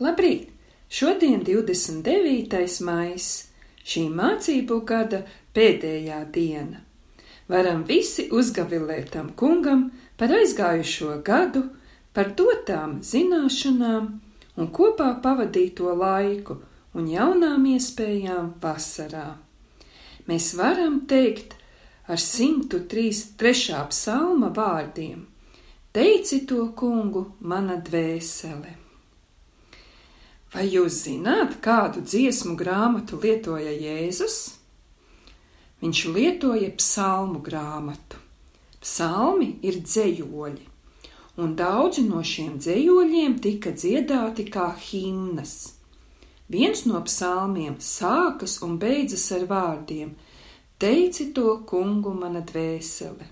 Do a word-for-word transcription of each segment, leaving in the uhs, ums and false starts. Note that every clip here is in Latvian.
Labrīt! Šodien divdesmit devītais maijs, šī mācību gada pēdējā diena. Varam visi uzgavilēt tam kungam par aizgājušo gadu, par dotām zināšanām un kopā pavadīto laiku un jaunām iespējām vasarā. Mēs varam teikt ar simtu trešā psalma vārdiem: Teici to kungu, mana dvēsele. Vai jūs zināt, kādu dziesmu grāmatu lietoja Jēzus? Viņš lietoja psalmu grāmatu. Psalmi ir dzejoļi, un daudzi no šiem dzejoļiem tika dziedāti kā himnas. Viens no psalmiem sākas un beidzas ar vārdiem: Teici to kungu, mana dvēsele.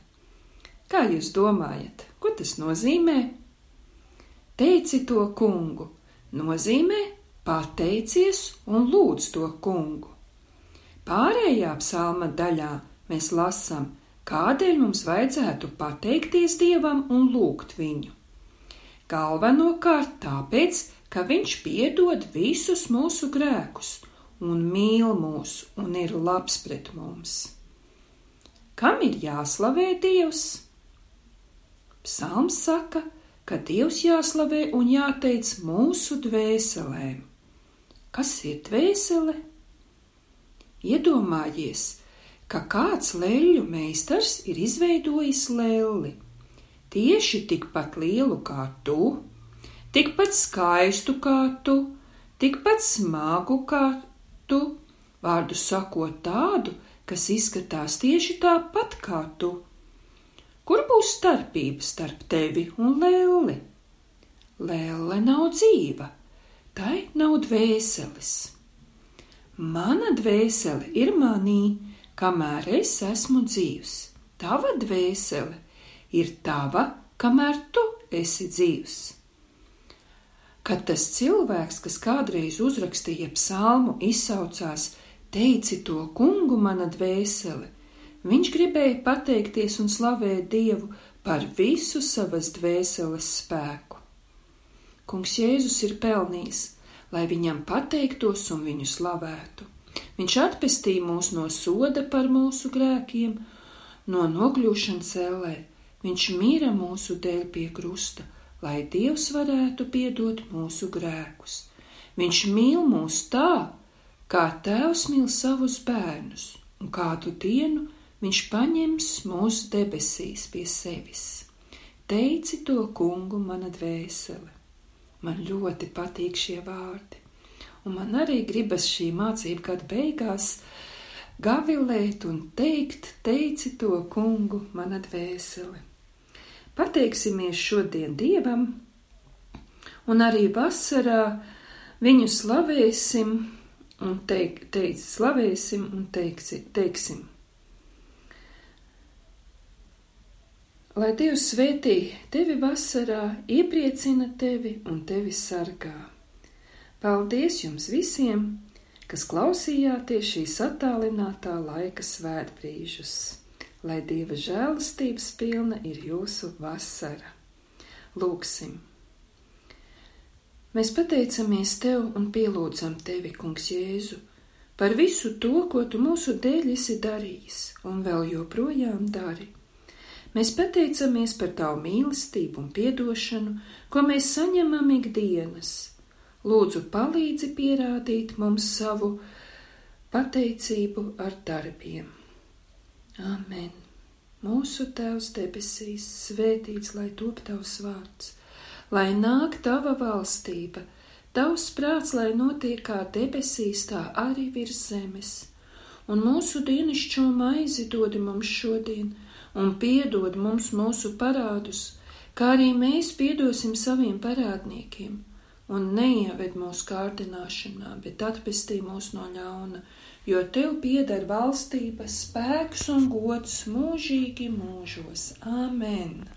Kā jūs domājat, ko tas nozīmē? Teici to kungu nozīmē pateicies un lūdz to kungu. Pārējā psalma daļā mēs lasām, kādēļ mums vajadzētu pateikties Dievam un lūgt viņu. Galvenokārt tāpēc, ka viņš piedod visus mūsu grēkus un mīl mūs un ir labs pret mums. Kam ir jāslavē Dievs? Psalms saka, ka Dievs jāslavē un jāteic mūsu dvēselēm. Kas ir dvēsele? Iedomājies, ka kāds leļļu meistars ir izveidojis lelli, tieši tikpat lielu kā tu, tikpat skaistu kā tu, tikpat smagu kā tu, vārdu sakot tādu, kas izskatās tieši tāpat kā tu. Kur būs starpība starp tevi un lelli? Lelle nav dzīva, tai nav dvēseles. Mana dvēsele ir manī, kamēr es esmu dzīvs. Tava dvēsele ir tava, kamēr tu esi dzīvs. Kad tas cilvēks, kas kādreiz uzrakstīja psalmu, izsaucās: Teici to kungu, mana dvēsele, viņš gribēja pateikties un slavēt Dievu par visu savas dvēseles spēku. Kungs Jēzus ir pelnījis, lai viņam pateiktos un viņu slavētu. Viņš atpestīja mūs no soda par mūsu grēkiem, no nokļūšanas ellē. Viņš mīra mūsu dēļ pie krusta, lai Dievs varētu piedot mūsu grēkus. Viņš mīl mūs tā, kā tēvs mīl savus bērnus, un kādu dienu viņš paņems mūsu debesīs pie sevis. Teici to kungu, mana dvēsele. Man ļoti patīk šie vārdi, un man arī gribas šī mācību gada beigās gavilēt un teikt: Teici to kungu, mana dvēsele. Pateiksimies šodien Dievam, un arī vasarā viņu slavēsim un teik, teic, slavēsim un teiksi, teiksim. Lai Dievs svētī tevi vasarā, iepriecina tevi un tevi sargā. Paldies jums visiem, kas klausījāties šīs attālinātā laika svētbrīžus. Lai Dieva žēlastības pilna ir jūsu vasara. Lūksim. Mēs pateicamies tev un pielūdzam tevi, kungs Jēzu, par visu to, ko tu mūsu dēļ esi darījis un vēl joprojām dari. Mēs pateicamies par tavu mīlestību un piedošanu, ko mēs saņemam ikdienas. Lūdzu, palīdzi pierādīt mums savu pateicību ar darbiem. Āmen. Mūsu Tēvs debesīs, svētīts lai top tavs vārds, lai nāk tava valstība, tavs prāts, lai notiek kā debesīs, tā arī virs zemes. Un mūsu dienascho maizi dodi mums šodien, un piedod mums mūsu parādus, kā arī mēs piedosim saviem parādniekiem, un neieved mūsu kārdināšanā, bet atpestī mūs no ļauna, jo tev pieder valstība, spēks un gods mūžīgi mūžos. Āmen!